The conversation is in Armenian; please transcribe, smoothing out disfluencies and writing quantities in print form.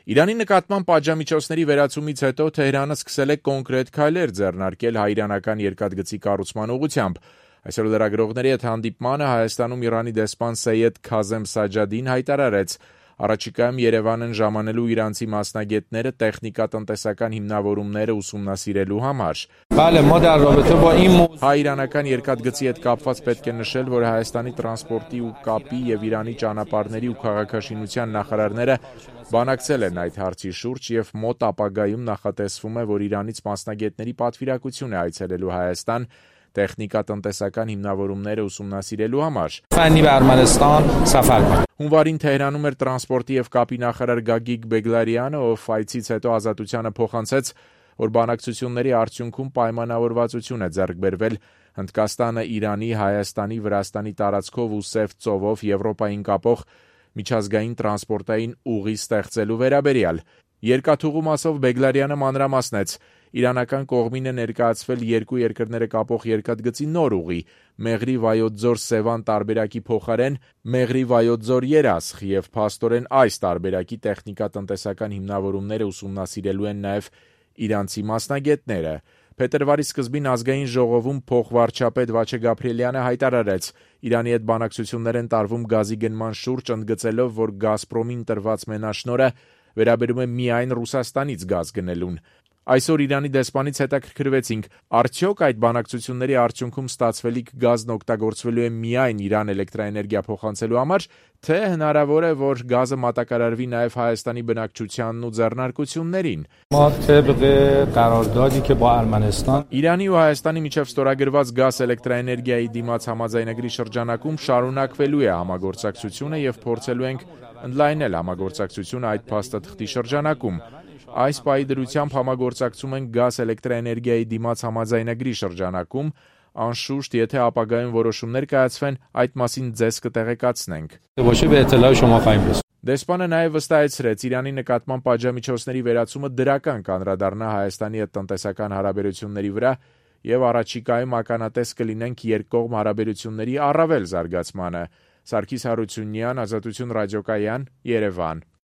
Իրանի նկատմամբ պատժամիջոցների վերացումից հետո Թեհրանը սկսել է կոնկրետ քայլեր ձեռնարկել հայ-իրանական երկաթգծի կառուցման ուղղությամբ։ Այսօր լրագրողների հետ հանդիպմանը Հայաստանում Իրանի դեսպան Սեյեդ Քազեմ Սաջադին հայտարարեց. առաջիկայում Երևան են ժամանելու իրանցի մասնագետները տեխնիկատնտեսական հիմնավորումները ուսումնասիրելու համար։ Հայ-իրանական երկաթգծի հետ կապված պետք է նշել, որ Հայաստանի տրանսպորտի ու կապի եւ Իրանի ճանապարհների ու քաղաքաշինության նախարարները բանակցել են այդ հարցի շուրջ եւ մոտ ապագայում նախատեսվում է, որ Իրանից մասնագետների պատվիրակություն է այցելելու Հայաստան տեխնիկատնտեսական հիմնավորումները ուսումնասիրելու համար։ Հունվարին Թեհրանում էր տրանսպորտի եւ կապի նախարար Գագիկ Բեգլարյանը, ով այցից հետո Ազատությանը փոխանցեց, որ բանակցությունների արդյունքում պայմանավորվածություն է ձեռք բերվել Հնդկաստանը Իրանի, Հայաստանի, Վրաստանի տարածքով ու Սև ծովով Եվրոպային կապող միջազգային տրանսպորտային ուղի ստեղծելու վերաբերյալ։ Երկաթուղու մասով Բեգլարյանը մանրամասնեց. իրանական կողմին է ներկայացվել երկու երկրները կապող երկաթգծի նոր ուղի՝ Մեղրի-Վայոց ձոր-Սևան տարբերակի փոխարեն Մեղրի-Վայոց ձոր-Երասխ, եւ փաստորեն այս տարբերակի տեխնիկատնտեսական հիմնավորումները ուսումնասիրելու են նաեւ իրանցի մասնագետները։ Փետրվարի սկզբին Ազգային ժողովում փոխվարչապետ Վաչե Գաբրիելյանը հայտարարեց. Իրանի հետ բանակցություններ են տարվում գազի գնման շուրջ, ընդգծելով, որ Գազպրոմին տրված մենաշնորհը վերաբերում է միայն Ռուսաստանից գազ գնելուն։ Այսօր Իրանի դեսպանից հետաքրքրվեցինք, արդյոք այդ բանակցությունների արդյունքում ստացվելիք գազն օգտագործվելու է միայն Իրան էլեկտրաէներգիա փոխանցելու համար, թե հնարավոր է, որ գազը մատակարարվի նաև Հայաստանի բնակչությանն ու ձեռնարկություններին։ Իրանի ու Հայաստանի միջև ստորագրված գազ էլեկտրաէներգիայի դիմաց համաձայնագրի շրջանակում շարունակվելու է համագործակցությունը եւ փորձելու ենք ընդլայնել համագործակցությունը այդ փաստաթղթի շրջանակում։ Այս պահի դրությամբ համագործակցում ենք գազ էլեկտրաէներգիայի դիմաց համաձայնագրի շրջանակում, անշուշտ, եթե ապագայում որոշումներ կայացվեն, այդ մասին ձեզ կտեղեկացնենք։ Դեսպանը նաև վստահեցրեց, Իրանի նկատմամբ պատժամիջոցների վերացումը դրական կանդրադառնա Հայաստանի հետ տնտեսական հարաբերությունների վրա եւ առաջիկայում ականատես կլինենք երկկողմ հարաբերությունների առավել զարգացմանը։ Սարգիս Հարությունյան, Ազատություն ռադիոկայան, Երևան։